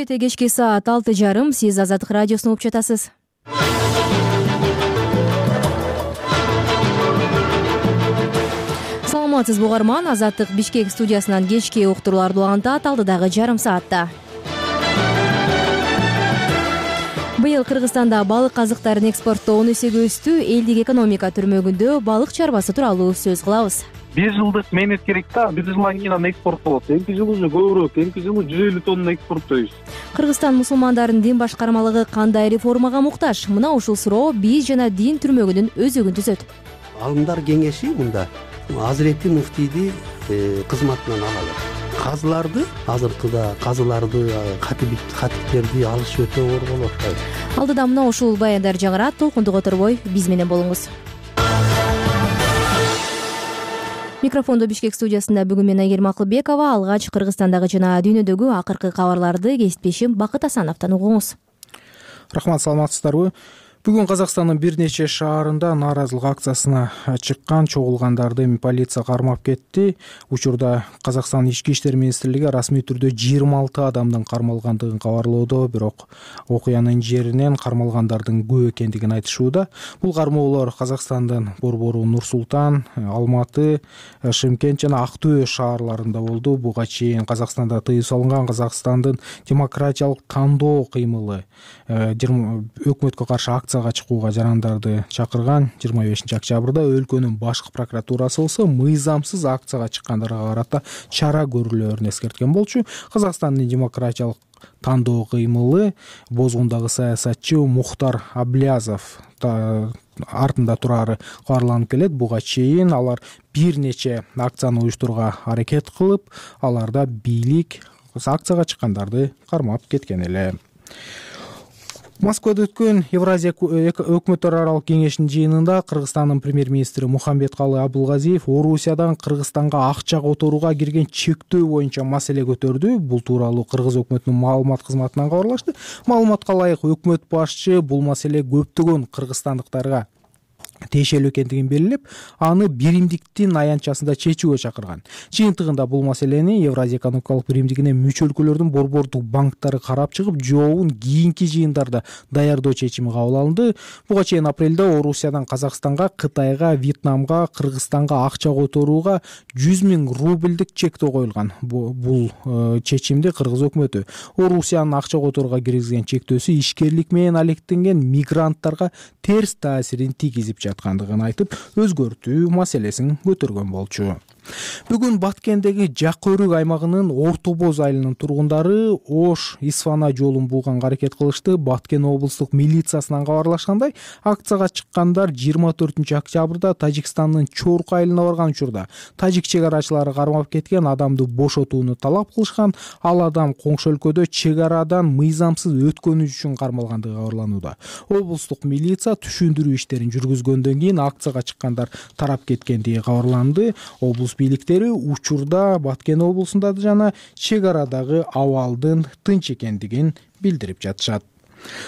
чети кечки саат 6:30. Сиз Азаттык радиосун угуп жатасыз. Саламатсызбы угарман. Азаттык Бишкек студиясынан кечки уктурууларды улантат алдыдагы жарым саатта. Быйыл Кыргызстанда балык азыктарын экспорттоо 10 эсеге өстү. Элдик экономика түрмөгүндө балык чарбасы тууралуу сөз кылабыз. 1 жылдык менет керек да, 1 жылдан кийин аны экспорттолот. Эмки жылы уже көбүрөөк, эмки жылы 150 тонна экспорттойбуз. Кыргызстан мусулмандардын дин башкармалыгы кандай реформага муктаж? Мына ушул суроо биз жана дин түрмөгүнүн өзөгүн түзөт. Алымдар кеңеши мында Азирети муфтийди кызматынан алат. Казыларды азыркыда катиптерди алыш өтө оор болот. Алдыда мына ушул баяндар жаңырат. Толкундук оторбой биз менен болуңуз. Микрофондо Бишкек студиясында бүгүн мен Айгерим Акылбекова. Алгач Кыргызстандагы жана дүйнөдөгү акыркы кабарларды кесиптешим Бакыт Асановдон угуңуз. Рахмат, саламатсыздарбы? Бүгүн Казакстандын бир нече шаарында нааразылык акциясына чыккан чогулгандарды полиция кармап кетти. Учурда Казакстан Ички иштер министрлиги расмий түрдө 26 адамдын кармалгандыгын кабарлоодо, бирок окуянын жеринен кармалгандардын көп экендигин айтышууда. Бул кармоолор Казакстандын Борбору, Нур-Султан, Алматы, Шымкент жана Актөө шаарларында болду. Буга чейин Казакстанда тыюу салынган Казакстандын демократиялык тандоо кыймылы өкмөткө каршы акцияга чыгууга жарандарды чакырган. 25 октябрда өлкөнүн башкы прокуратурасы болсо мыйзамсыз акцияга чыккандарга карата чара көрүлөөрүн эскерткен болчу. Казакстандын демократиялык тандоо кыймылы бозгундагы саясатчы Мухтар Аблязов артында турары кабарланып келет. Буга чейин алар бир нече акцияны уюштурууга аракет кылып, аларда бийлик акцияга чыккандарды кармап кеткен эле. Москвада өткөн Евразия өкмөттөр аралык кеңешинин жыйынында Кыргызстандын премьер-министри Мухамбеткалы Абылгазиев Орусиядан Кыргызстанга акча которууга кирген чектөө боюнча маселе көтөрдү. Бул тууралуу Кыргыз өкмөтүнүн маалымат кызматынан кабарлашты. Маалыматка ылайык өкмөт башчы бул маселе көптөгөн кыргызстандыктарга тиешелүү экендигин белгилеп, аны биримдиктин аянтчасында чечүүгө чакырган. Жыйынтыгында бул маселени Евразия экономикалык биримдигине мүчө өлкөлөрдүн борбордук банктары карап чыгып, жообун кийинки жыйындарда даярдоо чечими кабыл алынды. Буга чейин апрелде Орусиядан Казакстанга, Кытайга, Вьетнамга, Кыргызстанга акча которууга 100 000 рубльдик чектөө коюлган. Бул чечимди Кыргыз өкмөтү Орусиянын акча которууга киргизген чектөөсү ишкерлик менен алектенген мигранттарга терс таасирин тийгизип жаткандыгын айтып, өзгөртүү маселесин көтөргөн болчу. Бүгүн Баткендеги Жакөрүк аймагынын Орто Боз айылынын тургундары Ош Исфана жолун булганга аракет кылышты. Баткен облустук милициясынан кабарлашкандай, акцияга чыккандар 24 октябрда Тажикстандын Чорку айылына барган учурда тажик чегарачылары кармап кеткен адамды бошотууну талап кылышкан. Ал адам коңшу өлкөдө чек арадан мыйзамсыз өткөнү үчүн кармалгандыгы кабарланууда. Облустук милиция түшүндүрүү иштерин жүргүзгөндөн кийин акцияга чыккандар тарап кеткендиги кабарланды. Облус бийликтери учурда Баткен облусунда жана чек арадагы абалдын тынч экендигин билдирип жатышат.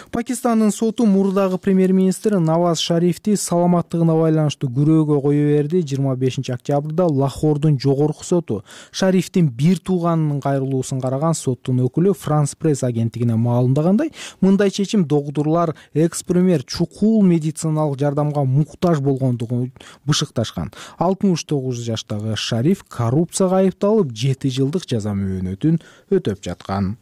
Пакистандын соту мурдагы премьер-министр Наваз Шарифти саламаттыгына байланыштуу күрөөгө кое берди. 25 октябрда Лахордун жогорку соту Шарифтин бир тууганынын кайрылуусун караган соттун өкүлү Франс пресс агенттигине маалымдагандай, мындай чечим доктурлар экс-премьер чукул медициналык жардамга муктаж болгондугун бышыкташкан. 69 жаштагы Шариф коррупцияга айыпталып 7 жылдык жаза мөөнөтүн өтөп жаткан.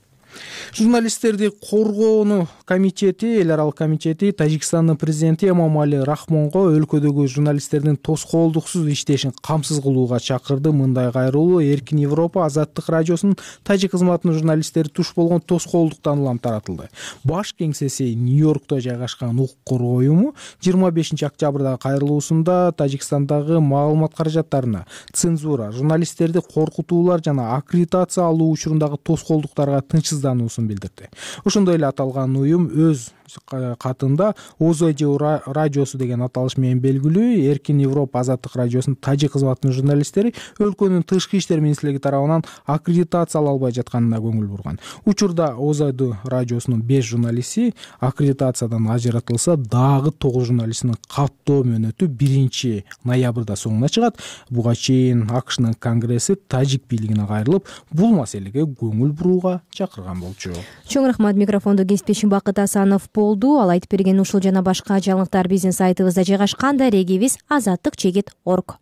Журналисттерди коргоону комитети, эл аралык комитети Тажикстандын президенти Эмомали Рахмонго өлкөдөгү журналисттердин тоскоолдуксуз иштешин камсыз кылууга чакырды. Мындай кайрылуу Эркин Европа Азаттык радиосунун тажик кызматынын журналисттери туш болгон тоскоолдуктан улам таратылды. Баш кеңсеси Нью-Йоркто жайгашкан укук коргоо уюму 25 октябрдагы кайрылуусунда Тажикстандагы маалымат каражаттарына цензура, журналисттерди коркутуулар жана аккредитация алуу учурундагы тоскоолдуктарга тынчсыз билдирди. Ошондой эле аталган уюм өз катында ОЗЖ радиосу деген аталыш менен белгилүү Эркин Европа азаттык радиосунун тажик кызматынын журналисттери өлкөнүн тышкы иштер министрлиги тарабынан аккредитациялалбай жатканына көңүл бурган. Учурда ОЗЖ радиосунун 5 журналисти аккредитациядан ажыратылса, дагы 9 журналистинин каттоо мөөнөтү 1 ноябрда соңуна чыгат. Буга чейин АКШнын конгресси тажик бийлигине кайрылып, бул маселеге көңүл бурууга чакырган болчу. Чоң рахмат. Микрофондо кесиптешим Бакыт Асанов болду. Ал айтып берген ушул жана башка жаңылыктар биздин сайтыбызда жайгашкан. Дарегибиз azattik.org.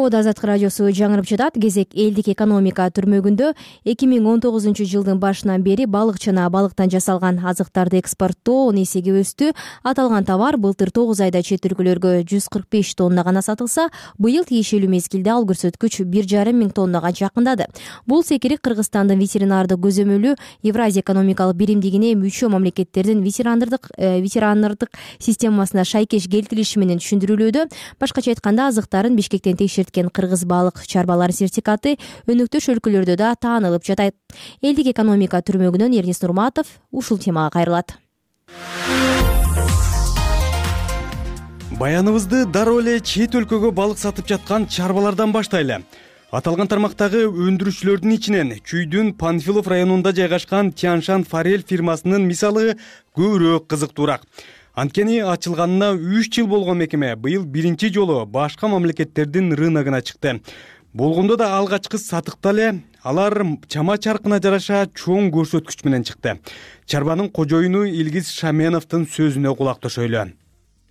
Азаттык радиосу жаңырып жатат. Кезек элдик экономика түрмөгүндө 2019-жылдын башынан бери балык жана балыктан жасалган азыктарды экспорттоо 10 эсеге өстү. Аталган товар былтыр 9 айда чет өлкөлөргө 145 тонна гана сатылса, быйыл тиешелүү мезгилде ал көрсөткүч 1,5 миң тоннага жакындады. Бул секирик Кыргызстандын ветеринардык көзөмөлү Евразия экономикалык биримдигине мүчө мамлекеттердин ветеринардык системасына шайкеш келтирилиши менен түшүндүрүлүүдө. Башкача айтканда, азыктарын Бишкектен текшерткен кыргыз балык чарбалары сертификаты өнөктөш өлкөлөрдө да таанылып жатат. Элдик экономика түрмөгүнөн Эрнис Нурматов ушул темага кайрылат. Баяныбызды дароо эле чет өлкөгө балык сатып жаткан чарбалардан баштайлы. Аталган тармактагы өндүрүүчүлөрдүн ичинен Чүйдүн Панфилов районунда жайгашкан Тяншан Форель фирмасынын мисалы көбүрөөк кызыктуураак. Анткени ачылганына 3 жыл болгон мекеме быйыл биринчи жолу башка мамлекеттердин рыногуна чыкты. Болгондо да алгачкы сатыкта эле алар чама чаркына жараша чоң көрсөткүч менен чыкты. Чарбанын кожоюну Илгиз Шаменовдун сөзүнө кулак төшөйлү.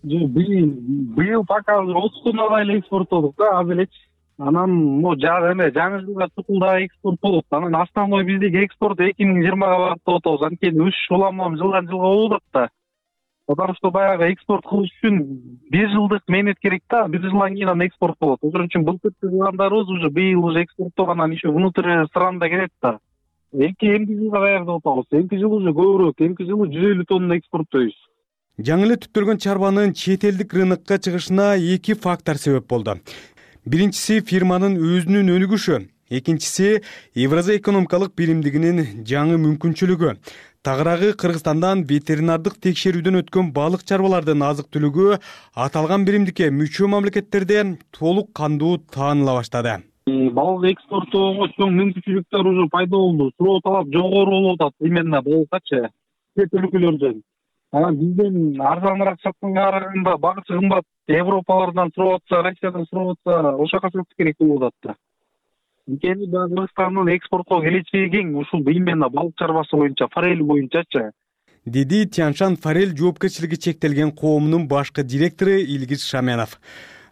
Быйыл пока 30 тоннага эле экспорттодук да, аз элечи. Анан жаңы жылга чукулда экспорт болот. Анан основной биздеги экспорт 2020-га багыттап атабыз. Анткени өсүш уламам жылдан жылга болуп атат да. Потому что баягы экспорт кылыш үчүн 1 жылдык мээнет керек да, 1 жылдан кийин анан экспорт болот. Ошон үчүн былтыр кылгандарыбыз уже быйыл уже экспорттогондан еще внутрь страната кетет да. Эмки жылга даярдап атабыз. Эмки жыл уже көбүрөөк, эмки жылы 150 тонна экспорттойбуз. Жаңы эле түптөлгөн чарбанын чет элдик рынокко чыгышына 2 фактор себеп болду. Биринчиси фирманын өзүнүн өнүгүшү, экинчиси Евразия экономикалык биримдигинин жаңы мүмкүнчүлүгү. Тагыраагы Кыргызстандан ветеринардык текшерүүдөн өткөн балык чарбалардын азык-түлүгү аталган биримдикке мүчө мамлекеттерде толук кандуу тааныла баштады. Балык экспорттоого чоң мүмкүнчүлүктөр уже пайда болду. Суроо талап жогору болуп атат именно балыккачы чет өлкөлөрдөн. Анан бизден арзаныраак сатканга караганда багычы кымбат. Европалардан сурап атса, Россиядан сурап атса, ошол жака сатыш керек болуп атат да. Анткени Кыргызстандын экспортко келечеги кең, ушул именно балык чарбасы боюнча, форель боюнчачы. Деди Тяншан Форель жоопкерчилиги чектелген коомунун башкы директору Илгиз Шаменов.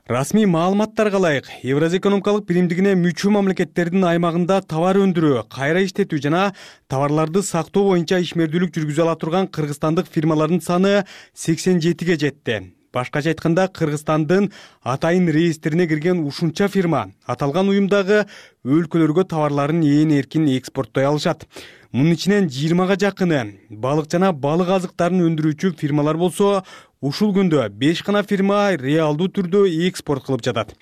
Расмий маалыматтарга ылайык, Евразия экономикалык биримдигине мүчө мамлекеттердин аймагында товар өндүрүү, кайра иштетүү жана товарларды сактоо боюнча ишмердүүлүк жүргүзө ала турган кыргызстандык фирмалардын саны 87ге жетти. Башкача айтканда, Кыргызстандын атайын реестрине кирген ушунча фирма аталган уюмдагы өлкөлөргө товарларын ээн эркин экспорттой алышат. Мунун ичинен 20га жакыны балык жана балык азыктарын өндүрүүчү фирмалар болсо, ушул күндө 5 гана фирма реалдуу түрдө экспорт кылып жатат.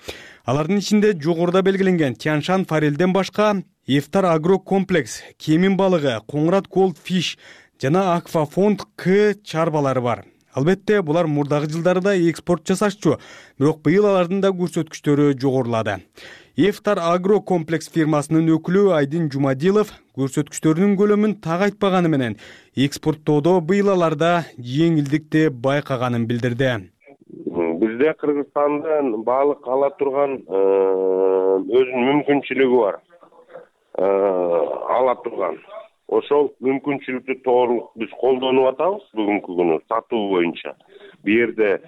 Алардын ичинде жогоруда белгиленген Тяншан Форельден башка Эфтар Агро Комплекс, Кемин балыгы, Коңрат Gold Fish жана Аквафонд К чарбалары бар. Албетте, булар мурдагы жылдарда экспорт жасашчу, бирок быйыл алардын да көрсөткүчтөрү жогорулады. Эфтар Агро Комплекс фирмасынын өкүлү Айдин Жумадилов көрсөткүчтөрүнүн көлөмүн так айтпаганы менен экспорттоодо быйыл аларда жеңилдикти байкаганын билдирди. Бизде Кыргызстандын балык ала турган өзүнүн мүмкүнчүлүгү бар. Ала турган. Ошол мүмкүнчүлүктү толук биз колдонуп атабыз бүгүнкү күнү сатуу боюнча. Бу жерде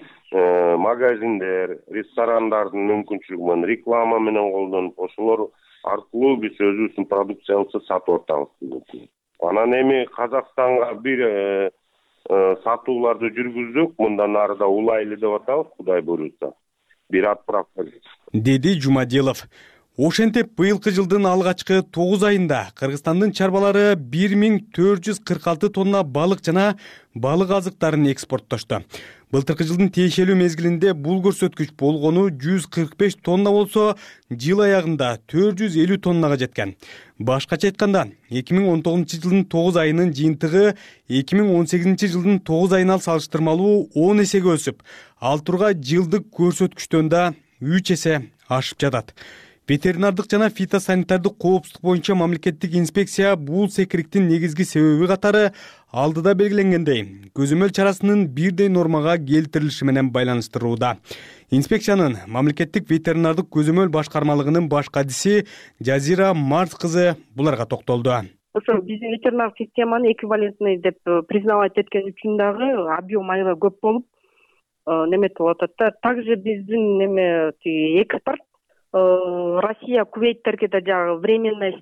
магазиндер, ресторандардын мүмкүнчүлүгү менен реклама менен колдонуп, ошолор аркылуу биз өзүбүздүн продукциябызды сатып атабыз. Анан эми Казакстанга бир сатууларды жүргүздүк, мындан ары да улайлы деп атабыз, Кудай буйрса. Бир отправка. Деди Жумадилов. Ошентип быйылкы жылдын алгачкы 9 айында Кыргызстандын чарбалары 1446 тонна балык жана балык азыктарын экспорттошту. Былтыркы жылдын тиешелүү мезгилинде бул көрсөткүч болгону 145 тонна болсо, жыл аягында 450 тоннага жеткен. Башкача айтканда, 2019 жылдын 9 айынын жыйынтыгы 2018 жылдын 9 айына салыштырмалуу 10 эсеге өсүп, ал турга жылдык көрсөткүчтөн да 3 эсе ашып жатат. Ветеринардык жана фитосанитардык коопсуздук боюнча мамлекеттик инспекция бул секириктин негизги себеби катары алдыда белгиленгендей көзөмөл чарасынын бирдей нормага келтирилиши менен байланыштырууда. Инспекциянын мамлекеттик ветеринардык көзөмөл башкармалыгынын баш кадиси Жазира Марс кызы буларга токтолду. Ошо биздин ветеринардык системаны эквивалентный деп признавать эткен үчүн дагы объем аябай көп болуп неметип атат да. Также биздин экспорт Россия Кувейттерге да жагы временное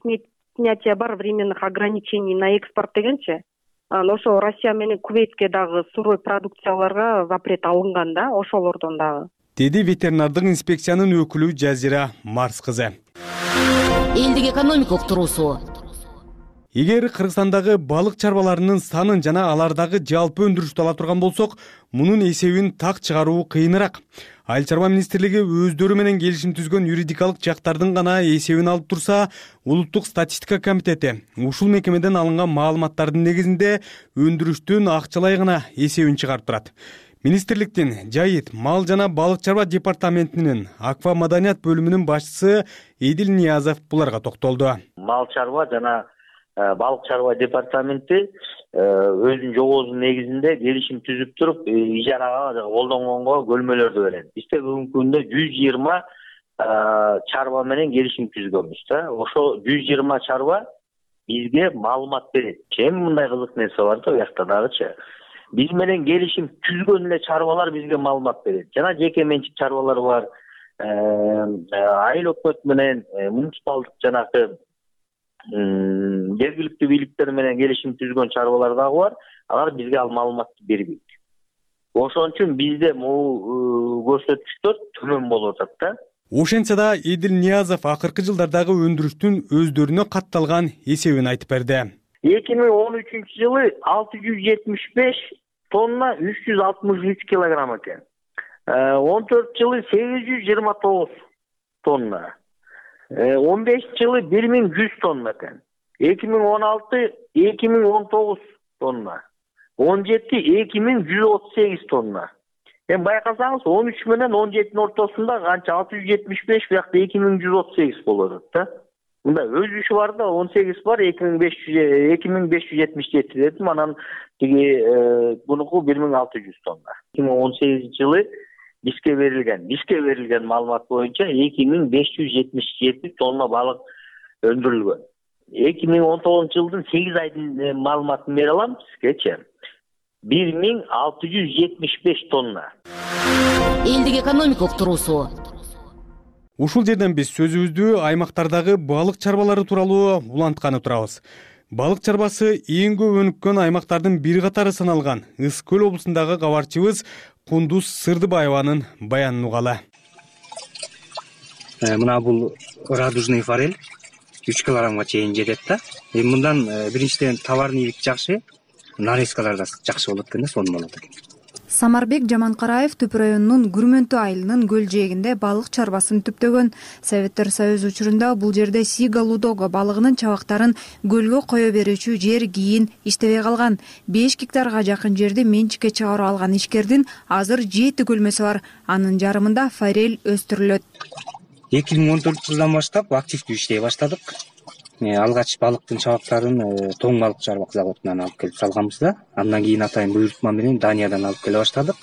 снятие бар, временных ограничений на экспорт дегенчи. Ошо Россия менен Кувейтке дагы сырой продукцияларга запрет алынган да, ошолордон дагы. Деди ветеринардык инспекциянын өкүлү Жазира Марс кызы. Элдик экономика уктуруусу. Эгер Кыргызстандагы балык чарбаларынын санын жана алардагы жалпы өндүрүштү ала турган болсок, мунун эсебин так чыгаруу кыйыныраак. Айыл чарба министрлиги өздөрү менен келишим түзгөн юридикалык жактардын гана эсебин алып турса, Улуттук статистика комитети ушул мекемеден алынган маалыматтардын негизинде өндүрүштүн акчалай гана эсебин чыгарып турат. Министрликтин жайыт, мал жана балык чарба департаментинин аква маданият бөлүмүнүн башчысы Эдил Ниязов буларга токтолду. Мал чарба жана балык чарба департаменти өзүнүн жобосунун негизинде келишим түзүп туруп, ижарага колдонгонго көлмөлөрдү берет. Бизде бүгүнкү күндө 120 чарба менен келишим түзгөнбүз да. Ошо 120 чарба бизге маалымат берет. Эми мындай кызык нерсе бар да, буякта дагычы. Биз менен келишим түзгөн эле чарбалар бизге маалымат берет. Жана жеке менчик чарбалар бар. Айыл өкмөт менен муниципалдык жанагы жергиликтүү бийликтер менен келишим түзгөн чарбалар дагы бар. Алар бизге ал маалыматты бербейт. Ошон үчүн бизде могу көрсөткүчтөр төмөн болуп атат да. Ошентсе да Эдил Ниязов акыркы жылдардагы өндүрүштүн өздөрүнө катталган эсебин айтып берди. 2013 жылы 675 тонна 363 килограмм экен. 14 жылы 829 тонна. 15 жылы 1100 тонна экен. 2016 2019 тонна. 17 2138 тонна. Байкасаңыз 13 менен 17 ортосунда канча 675 биякта 2138 болот да. Мында өзүшү бар да, 18 бар, 2577 дедим, анан тиги бунуку 1600 тонна. 2018 жылы бизге берилген маалымат боюнча 2577 тонна балык өндүрүлгөн. 2019 жылдын 8 айдын маалыматын бере алам сизгечи. 1675 тонна. Элдик экономика уктуруусу. Ушул жерден биз сөзүбүздү аймактардагы балык чарбалары тууралуу улантканы турабыз. Балык чарбасы эң көп өнүккөн аймактардын бири катары саналган Ыс көл облусундагы кабарчыбыз Кундуз Сырдыбаеванын баянын угалы. Мына бул радужный форель 3 килограммга чейин жетет да. Мындан биринчиден товарный вид жакшы, нарезкалар да жакшы болот экен да, сонун болот экен. Самарбек Жаманкараев Түп районунун Күрмөнтү айылынын көл жээгинде балык чарбасын түптөгөн. Советтер Союзу учурунда бул жерде Сига Лудого балыгынын чабактарын көлгө кое берүүчү жер кийин иштебей калган. 5 гектарга жакын жерди менчикке чыгарып алган ишкердин азыр 7 көлмөсү бар. Анын жарымында форель өстүрүлөт. 2014 жылдан баштап активдүү иштей баштадык. Алгач балыктын чабактарын Тоң балык чарба заводунан алып келип салганбыз да. Андан кийин атайын буйрутма менен Даниядан алып келе баштадык.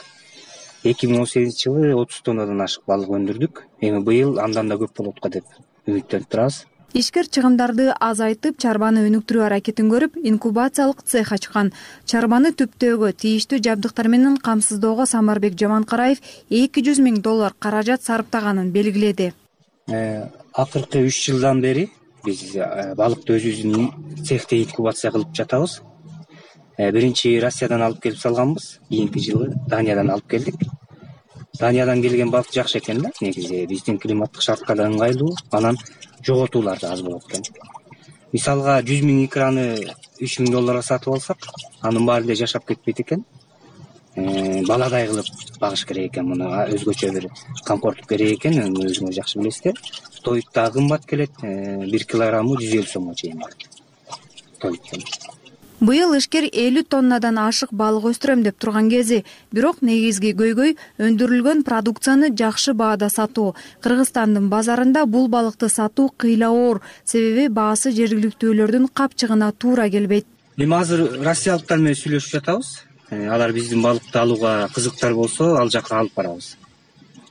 2018 жылы 30 тоннадан ашык балык өндүрдүк. Эми быйыл андан да көп болот го деп үмүттөнүп турабыз. Ишкер чыгымдарды азайтып, чарбаны өнүктүрүү аракетин көрүп, инкубациялык цех ачкан. Чарбаны түптөөгө, тийиштүү жабдыктар менен камсыздоого Самарбек Жаманкараев $200,000 каражат сарптаганын белгиледи. Акыркы 3 жылдан бери биз балыкты өзүбүздүн цехте инкубация кылып жатабыз. Биринчи Россиядан алып келип салганбыз, кийинки жылы Даниядан алып келдик. Даниядан келген балык жакшы экен да, негизи биздин климаттык шартка да ыңгайлуу, анан жоготуулар да аз болот экен. Мисалга 100 000 икраны $3,000 сатып алсак, анын баары эле жашап кетпейт экен. Баладай кылып багыш керек экен, муну өзгөчө бир комфорт керек экен, өзүңүз жакшы билесиздер. Тоют да кымбат келет, 1 килограммы 150 сомго чейин бар. Тоюттан. Быйыл ишкер 50 тоннадан ашык балык өстүрөм деп турган кези, бирок негизги көйгөй өндүрүлгөн продукцияны жакшы баада сатуу. Кыргызстандын базарында бул балыкты сатуу кыйла оор, себеби баасы жергиликтүүлөрдүн капчыгына туура келбейт. Эми азыр россиялыктар менен сүйлөшүп жатабыз. Алар биздин балыкты алууга кызыктар болсо, ал жака алып барабыз.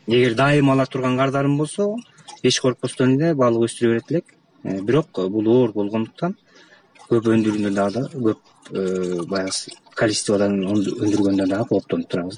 Эгер дайым ала турган кардарым болсо, эч коркпостон эле балык өстүрө берет элек. Бирок бул оор болгондуктан көп өндүргөндө дагы көп баягы количестводан өндүргөндө дагы кооптонуп турабыз.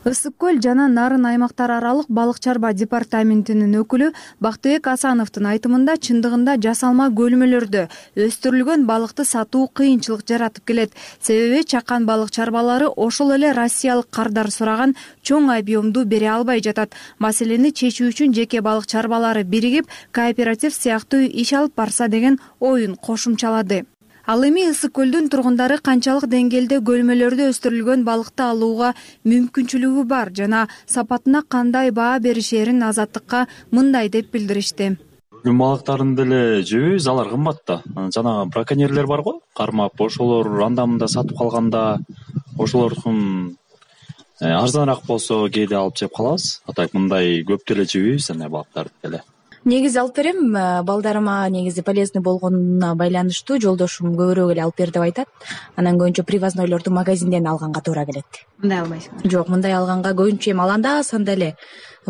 Ысык көл жана Нарын аймактар аралык балык чарба департаментинин өкүлү Бактыбек Асановдун айтымында чындыгында жасалма көлмөлөрдө өстүрүлгөн балыкты сатуу кыйынчылык жаратып келет. Себеби чакан балык чарбалары ошол эле россиялык кардар сураган чоң объемду бере албай жатат. Маселени чечүү үчүн жеке балык чарбалары биригип, кооператив сыяктуу иш алып барса деген оюн кошумчалады. Ал эми Ысык көлдүн тургундары канчалык деңгээлде көлмөлөрдө өстүрүлгөн балыкты алууга мүмкүнчүлүгү бар жана сапатына кандай баа беришерин Азаттыкка мындай деп билдиришти. Күн балыктарын деле жебейбиз, алар кымбат да. Жанагы браконьерлер бар го, кармап, ошолор анда-мында сатып калганда, ошолордун арзаныраак болсо кээде алып жеп калабыз. Атайын мындай көп деле жебейбиз андай балыктарды деле. Негизи алып берем, балдарыма негизи полезный болгонуна байланыштуу жолдошум көбүрөөк эле алып бер деп айтат. Анан көбүнчө привознойлорду магазинден алганга туура келет. Мындай албайсыңар? Жок, мындай алганга көбүнчө эми аланда санда эле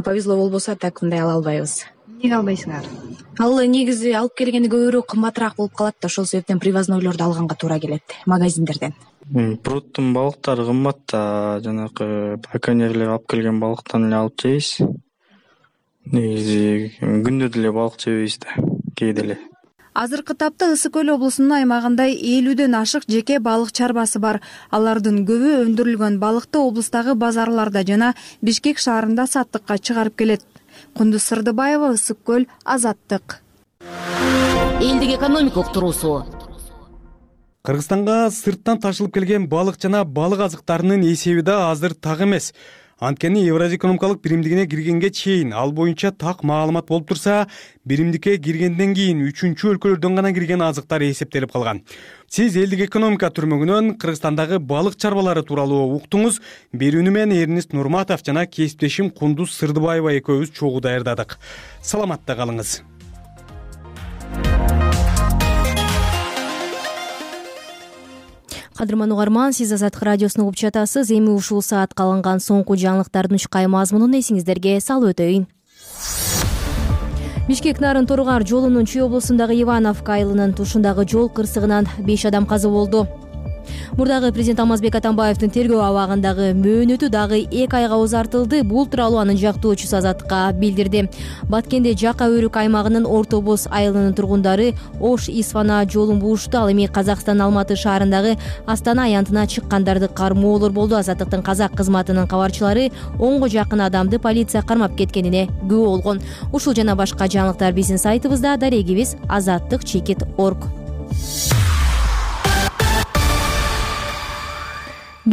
повезло болбосо так мындай ала албайбыз. Эмнеге албайсыңар? Ал негизи алып келгени көбүрөөк кымбатыраак болуп калат да, ошол себептен привознойлорду алганга туура келет магазиндерден. Пруттун балыктары кымбат да, жанакы браконьерлер алып келген балыктан эле алып жейбиз. Негизи күндө деле балык жебейбиз да, кээде эле. Азыркы тапта Ысык көл облусунун аймагында 50дөн ашык жеке балык чарбасы бар. Алардын көбү өндүрүлгөн балыкты облустагы базарларда жана Бишкек шаарында саттыкка чыгарып келет. Кундуз Сырдыбаева, Ысык көл, Азаттык. Элдик экономика уктуруусу. Кыргызстанга сырттан ташылып келген балык жана балык азыктарынын эсеби да азыр так эмес. Анткени Евразия экономикалык биримдигине киргенге чейин ал боюнча так маалымат болуп турса, биримдикке киргенден кийин 3-чү өлкөлөрдөн гана кирген азыктар эсептелип калган. Сиз элдик экономика түрмөгүнөн Кыргызстандагы балык чарбалары тууралуу уктуңуз. Берүүнү мен Эрнест Нурматов жана кесиптешим Кундуз Сырдыбаева экөөбүз чогуу даярдадык. Саламатта калыңыз. Кадырман угарман, сиз Азаттык радиосуну угуп жатасыз. Эми ушул саатка алынган соңку жаңылыктардын ушкай мазмунун эсиңиздерге салып өтөйүн. Бишкек Нарын Торгар жолунун Чүй облусундагы Ивановка айылынын тушундагы жол кырсыгынан 5 адам каза болду. Мурдагы президент Алмазбек Атамбаевдин тергөө абагындагы мөөнөтү дагы 2 айга узартылды. Бул тууралуу анын жактоочусу Азаттыкка билдирди. Баткенде Жака Өрүк аймагынын Орто Боз айылынын тургундары Ош Исфана жолун буушту. Ал эми Казакстан Алматы шаарындагы Астана аянтына чыккандарды кармоолор болду. Азаттыктын казак кызматынын кабарчылары 10го жакын адамды полиция кармап кеткенине күбө болгон. Ушул жана башка жаңылыктар биздин сайтыбызда, дарегибиз azattik.org.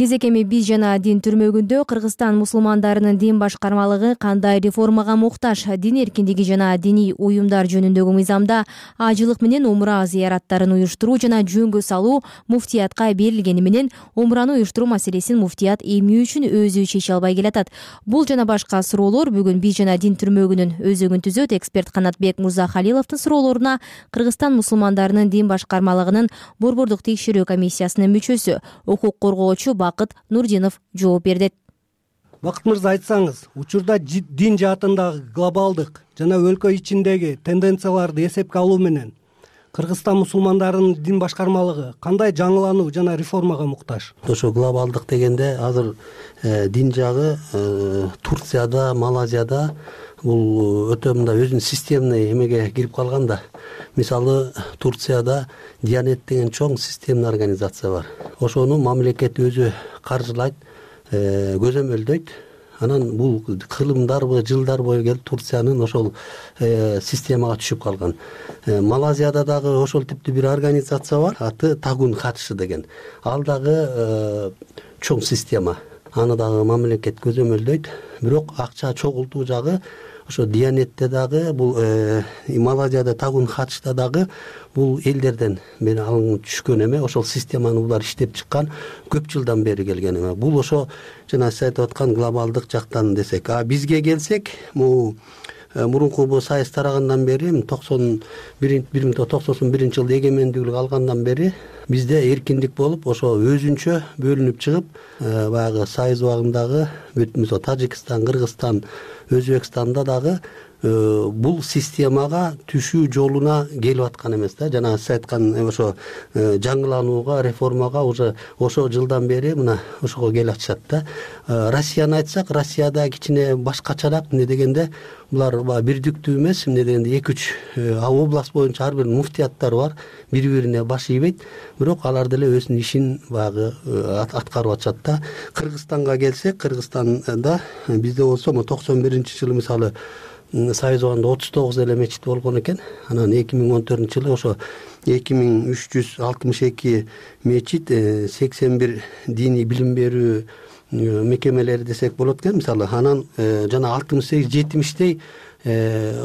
Кезек эми биз жана дин түрмөгүндө Кыргызстан мусулмандарынын дин башкармалыгы кандай реформага муктаж? Дин эркиндиги жана диний уюмдар жөнүндөгү мыйзамда ажылык менен умра зыяраттарын уюштуруу жана жөнгө салуу муфтиятка берилгени менен умраны уюштуруу маселесин муфтият эмне үчүн өзү чече албай келатат? Бул жана башка суроолор бүгүн биз жана дин түрмөгүнүн өзөгүн түзөт эксперт Канатбек Мурзахалиловдун суроолоруна Кыргызстан мусулмандарынын дин башкармалыгынын борбордук текшерүү комиссиясынын мүчөсү, укук коргоочу Бакыт Нурдинов жооп берди. Бакыт мырза, айтсаңыз, учурда дин жаатындагы глобалдык жана өлкө ичиндеги тенденцияларды эсепке алуу менен Кыргызстан мусулмандарынын дин башкармалыгы кандай жаңылануу жана реформага муктаж? Ошо глобалдык дегенде азыр дин жагы Турцияда, Малайзияда бул өтө мындай өзүнүн системный эмеге кирип калган да. Мисалы Турцияда Дианет деген чоң системный организация бар. Ошону мамлекет өзү каржылайт, көзөмөлдөйт. анан бул кылымдарбы жылдар бою келип Турциянын ошол системага түшүп калган. Малайзияда дагы ошол типтүү бир организация бар, аты Тагун Хадшы деген. Ал дагы чоң система, аны дагы мамлекет көзөмөлдөйт. Бирок акча чогултуу жагы ошо Диянетте дагы бул Малайзияда Тагун Хадшта дагы бул элдерден бери алынып түшкөн эме, ошол системаны булар иштеп чыккан, көп жылдан бери келген эме. Бул ошо жана сиз айтып аткан глобалдык жактан десек, бизге келсек, мурунку сайыс тарагандан бери 1991 жылы эгемендүүлүк алгандан бери бизде эркиндик болуп, ошо өзүнчө бөлүнүп чыгып, баягы сайыс убагындагы Тажикстан, Кыргызстан, Өзбекстанда дагы бул системага түшүү жолуна келип аткан эмес да. Жана сиз айткан ошо жаңыланууга, реформага уже ошо жылдан бери мына ошого келип атышат да. Россияны айтсак, Россияда кичине башкачараак, эмне дегенде булар бирдиктүү эмес, эмне дегенде 2-3 область боюнча ар бир муфтияттар бар, бири-бирине баш ийбейт, бирок алар деле өзүнүн ишин баягы аткарып атышат да. Кыргызстанга келсек, Кыргызстанда бизде болсо 91-жылы мисалы сайыз убагында 39 эле мечит болгон экен. Анан 2014-жылы ошо 2362 мечит, 81 диний билим берүү мекемелери десек болот экен мисалы. Анан жана 68-70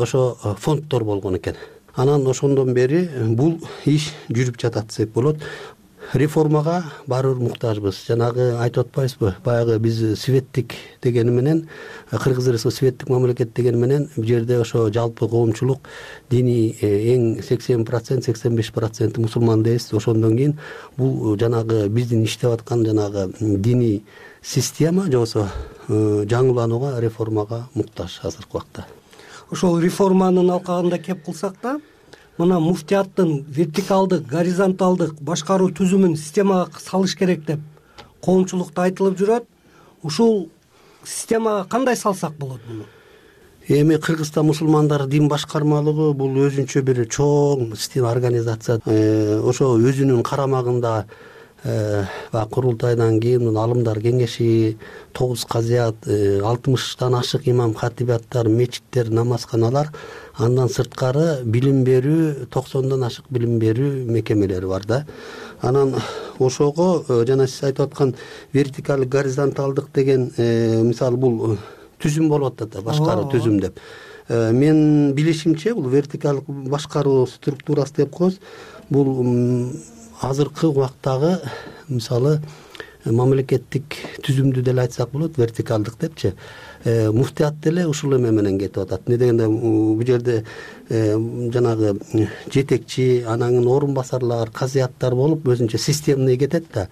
ошо фонддор болгон экен. Анан ошондон бери бул иш жүрүп жатат десек болот. Реформага баары бир муктажбыз. Жанагы айтып атпайбызбы? Баягы биз светтик дегени менен, Кыргыз Республикасы светтик мамлекет дегени менен, бул жерде ошо жалпы коомчулук диний эң 80%, 85% мусулман дейбиз. Ошондон кийин бул жанагы биздин иштеп аткан жанагы диний система жобосо жаңыланууга, реформага муктаж азыркы убакта. Ошол реформанын алкагында кеп кылсак да, мына муфтияттын вертикалдык, горизонталдык башкаруу түзүмүн системага салыш керек деп коомчулукта айтылып жүрөт. Ушул системага кандай салсак болот муну? Эми Кыргызстан мусулмандар дин башкармалыгы бул өзүнчө бир чоң система, организация. Ошо өзүнүн карамагында курултайдан кийин алымдар кеңеши, 9 казият, 60тан ашык имам хатибаттар, мечиттер, намазканалар, андан сырткары билим берүү, 90дан ашык билим берүү мекемелери бар да. Анан ошого жана сиз айтып аткан вертикалдык, горизонталдык деген мисалы бул түзүм болуп атат да, башкаруу түзүм деп. Мен билишимче бул вертикалдык башкаруу структурасы деп коебуз. Бул азыркы убактагы мисалы мамлекеттик түзүмдү деле айтсак болот, вертикалдык депчи. Муфтият деле ушул эме менен кетип атат. Эмне дегенде бул жерде жанагы жетекчи, анан орун басарлар, казияттар болуп өзүнчө системный кетет да.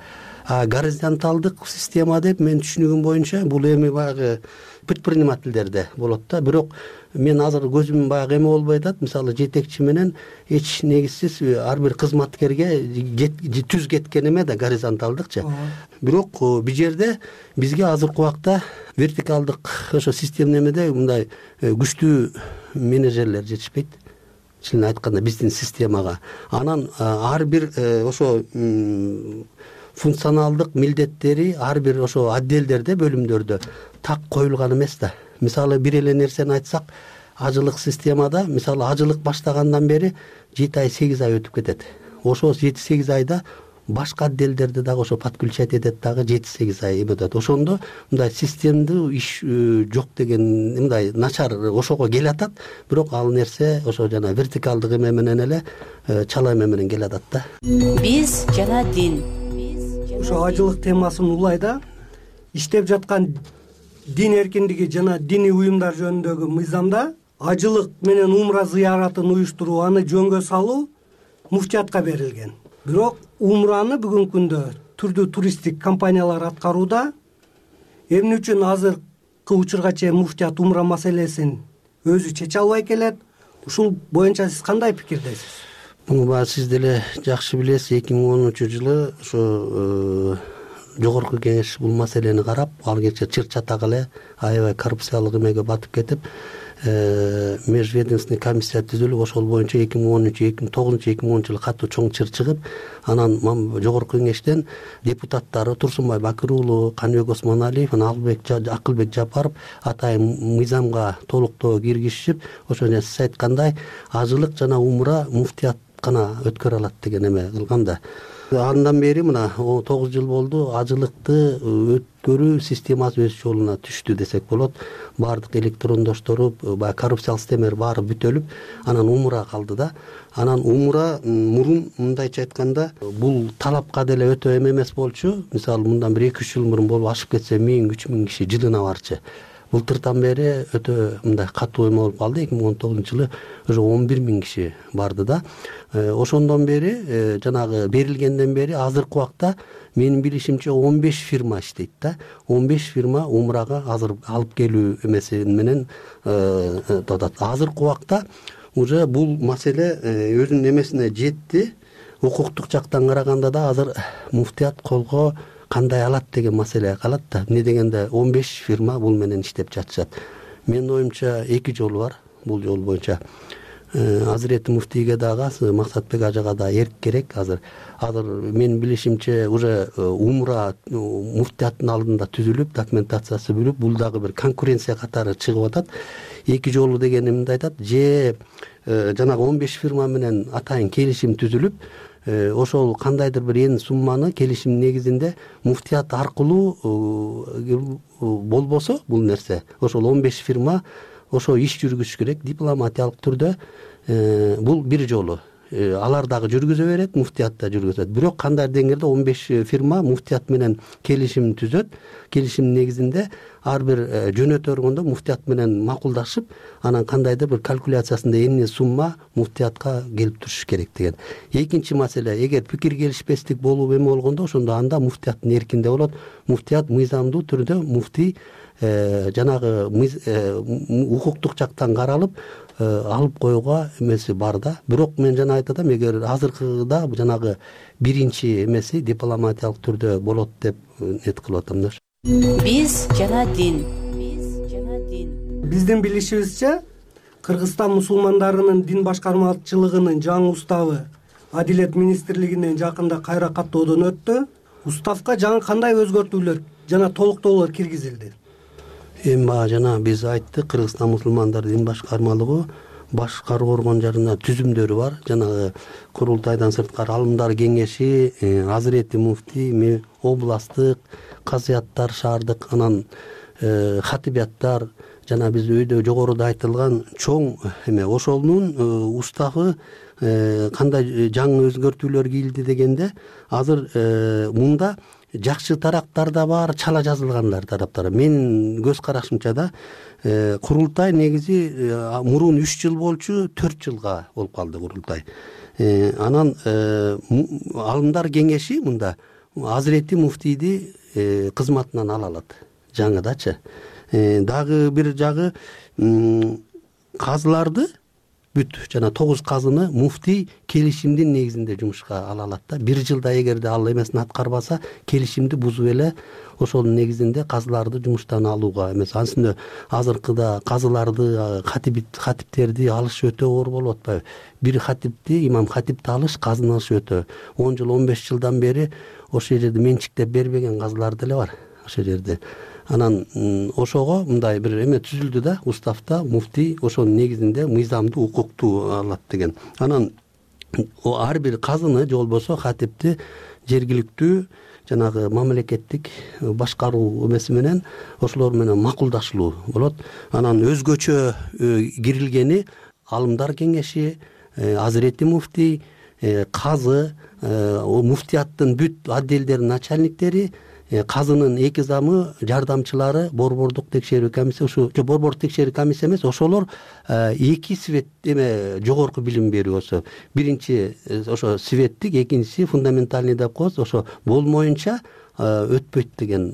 Горизонталдык система деп мен түшүнүгүм боюнча бул эми баягы предпринимательдерде болот да. Бирок мен азыр көзүм баягы эме болбой атат. Мисалы жетекчи менен эч негизсиз ар бир кызматкерге түз кеткен эме да, горизонталдыкчы. Бирок бул жерде бизге азыркы убакта вертикалдык ошо системный эмеде мындай күчтүү менеджерлер жетишпейт. Чынын айтканда биздин системага. Анан ар бир ошо функционалдык милдеттери ар бир ошо отделдерде, бөлүмдөрдө так коюлган эмес да. Мисалы бир эле нерсени айтсак, ажылык системада мисалы ажылык баштагандан бери 7 ай, 8 ай өтүп кетет. Ошо 7-8 айда башка отделдерде дагы ошо подключать этет дагы 7-8 ай өтөт. Ошондо мындай системдүү иш жок деген мындай начар ошого келе атат. Бирок ал нерсе ошо жана вертикалдык эме менен эле чала эме менен келе атат да. Биз жана дин. Ошо ажылык темасын улайда иштеп жаткан дин эркиндиги жана диний уюмдар жөнүндөгү мыйзамда ажылык менен умра зыяратын уюштуруу, аны жөнгө салуу муфтиятка берилген. Бирок умраны бүгүнкү күндө түрдүү туристтик компаниялар аткарууда. Эмне үчүн азыркы учурга чейин муфтият умра маселесин өзү чече албай келет? Ушул боюнча сиз кандай пикирдесиз? Муну сиз деле жакшы билесиз, 2010-жылы ошо жогорку кеңеш бул маселени карап, ал кече чыр чатак эле аябай коррупциялык эмеге батып кетип, межведомственный комиссия түзүлүп ошол боюнча 2010 2009 жылы катуу чоң чыр чыгып, анан жогорку кеңештен депутаттары Турсунбай Бакыр уулу, Каныбек Осмоналиев, анан Акылбек Жапаров атайын мыйзамга толуктоо киргизишип, ошо сиз айткандай ажылык жана умра муфтият гана өткөрө алат деген эме кылган да. Андан бери мына 9 жыл болду, ажылыкты өткөрүү системасы өз жолуна түштү десек болот. Баардык электрондошторуп, баягы коррупциялык системалар баары бүтөлүп, анан умра калды да. Анан умра мурун мындайча айтканда, бул талапка деле өтө эмес болчу. Мисалы, мындан 1-2 жыл мурун болуп ашып кетсе 1000-3000 киши жылына барчы. Былтыртан бери өтө мындай катуу эме болуп калды. 2019 жылы уже 11 000 киши барды да. Ошондон бери жанагы берилгенден бери азыркы убакта менин билишимче 15 фирма иштейт да. 15 фирма умрага азыр алып келүү эмеси менен татат. Азыркы убакта уже бул маселе өзүнүн эмесине жетти. Укуктук жактан караганда да азыр муфтият колго кандай алат деген маселе калат да. Эмне дегенде 15 фирма бул менен иштеп жатышат. Менин оюмча 2 жол бар бул жол боюнча. Азирети муфтийге дагы, Максатбек ажага да эрк керек. Азыр менин билишимче уже умра муфтияттын алдында түзүлүп, документациясы бүлүп, бул дагы бир конкуренция катары чыгып атат. 2 жолу деген эмне айтат? Же жанагы 15 фирма менен атайын келишим түзүлүп, ошол кандайдыр бир эң сумманы келишим негизинде муфтият аркылуу болбосо бул нерсе, ошол 15 фирма ошо иш жүргүзүш керек дипломатиялык түрдө. Бул бир жолу. Алар дагы жүргүзө берет, муфтият да жүргүзөт. Бирок кандай деңгээлде 15 фирма муфтият менен келишим түзөт. Келишимдин негизинде ар бир жөнөтө өргөндө муфтият менен макулдашып, анан кандайдыр бир калькуляциясында эмне сумма муфтиятка келип туруш керек деген. Экинчи маселе, эгер пикир келишпестик болуп эме болгондо, ошондо анда муфтияттын эркинде болот. Муфтият мыйзамдуу түрдө муфтий жанагы укуктук жактан каралып алып коюуга эмеси бар да. Бирок мен жана айтатам, эгер азыркыда жанагы биринчи эмеси дипломатиялык түрдө болот деп нет кылып атам да. Биз жана дин. Биздин билишибизче, Кыргызстан мусулмандарынын дин башкармачылыгынын жаңы уставы Адилет министрлигинен жакында кайра каттоодон өттү. Уставка жаңы кандай өзгөртүүлөр жана толуктоолор киргизилди? Эми жана биз айттык, Кыргызстан мусулмандар дин башкармалыгы башкаруу органдарында түзүмдөрү бар. Жанагы курултайдан сырткары алымдар кеңеши, Азирети муфтий, областтык, казыяттар шаардык, анан хатибияттар, жана биз өйдө жогоруда айтылган чоң эме ошонун уставы кандай жаңы өзгөртүүлөр кийилди дегенде, азыр мында жакшы тараптар да бар, чала жазылгандар тараптары. Менин көз карашымча да курултай негизи мурун 3 жыл болчу, 4 жылга болуп калды курултай. Анан алымдар кеңеши мында Азирети муфтийди кызматынан ала алат жаңыдачы. Дагы бир жагы казыларды бүт жана 9 казыны муфтий келишимдин негизинде жумушка ала алат да. 1 жылда эгерде ал эмесин аткарбаса, келишимди бузуп эле ошонун негизинде казыларды жумуштан алууга эмес. Ансында азыркыда казыларды, хатиптерди алыш өтө оор болуп атпайбы? Бир хатипти, имам хатипти алыш, казыны алыш өтө 10 жыл, 15 жылдан бери ошол жерде менчиктеп бербеген казылар деле бар ошол жерде. Анан ошого мындай бир эме түзүлдү да, уставта муфтий ошонун негизинде мыйзамдуу укукту алат деген. Анан ар бир казыны же болбосо хатипти жергиликтүү жанагы мамлекеттик башкаруу эмеси менен ошолор менен макулдашылуу болот. Анан өзгөчө кирилгени алымдар кеңеши, Азирети муфтий, казы, муфтияттын бүт отделдердин начальниктери, казынын 2 замы, жардамчылары, борбордук текшерүү комиссия, ушу борбордук текшерүү комиссия эмес, ошолор 2 свет эме жогорку билим берүүсү. Биринчи ошо светтик, экинчиси фундаментальный деп коебуз, ошо болмоюнча өтпөйт деген.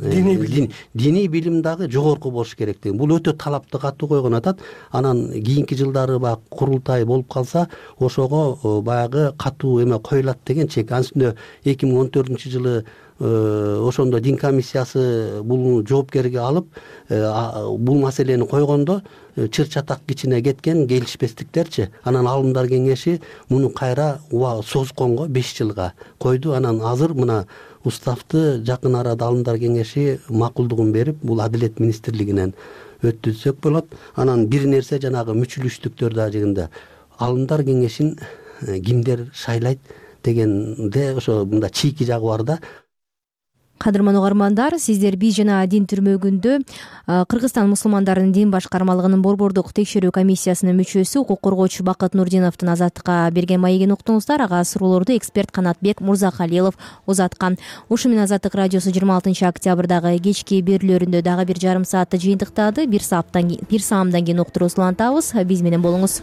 Диний билим дагы жогорку болуш керек деген. Бул өтө талапты катуу койгон атат. Анан кийинки жылдары баягы курултай болуп калса, ошого баягы катуу эме коюлат деген чек. Ансында 2014 жылы ошондо дин комиссиясы бул жоопкерге алып бул маселени койгондо чыр чатак кичине кеткен келишпестиктерчи, анан алымдар кеңеши муну кайра созгонго 5 жылга койду. Анан азыр мына уставты жакын арада алымдар кеңеши макулдугун берип, бул Адилет министрлигинен өткөзсөк болот. Анан бир нерсе жанагы мүчүлүштүктөр дагы алымдар кеңешин кимдер шайлайт дегенде ошо мында чийки жагы бар да. Кадырман угармандар, сиздер биз жана дин түрмөгүндө Кыргызстан мусулмандарынын дин башкармалыгынын борбордук текшерүү комиссиясынын мүчөсү, укук коргоочу Бакыт Нурдиновдун Азаттыкка берген маегин уктуңуздар. Ага суроолорду эксперт Канатбек Мурзахалилов узаткан. Ушу менен Азаттык радиосу 26 октябрдагы кечки берүүлөрүндө дагы бир жарым саатты жыйынтыктады. Бир саамдан кийин уктуруусун улантабыз. Биз менен болуңуз.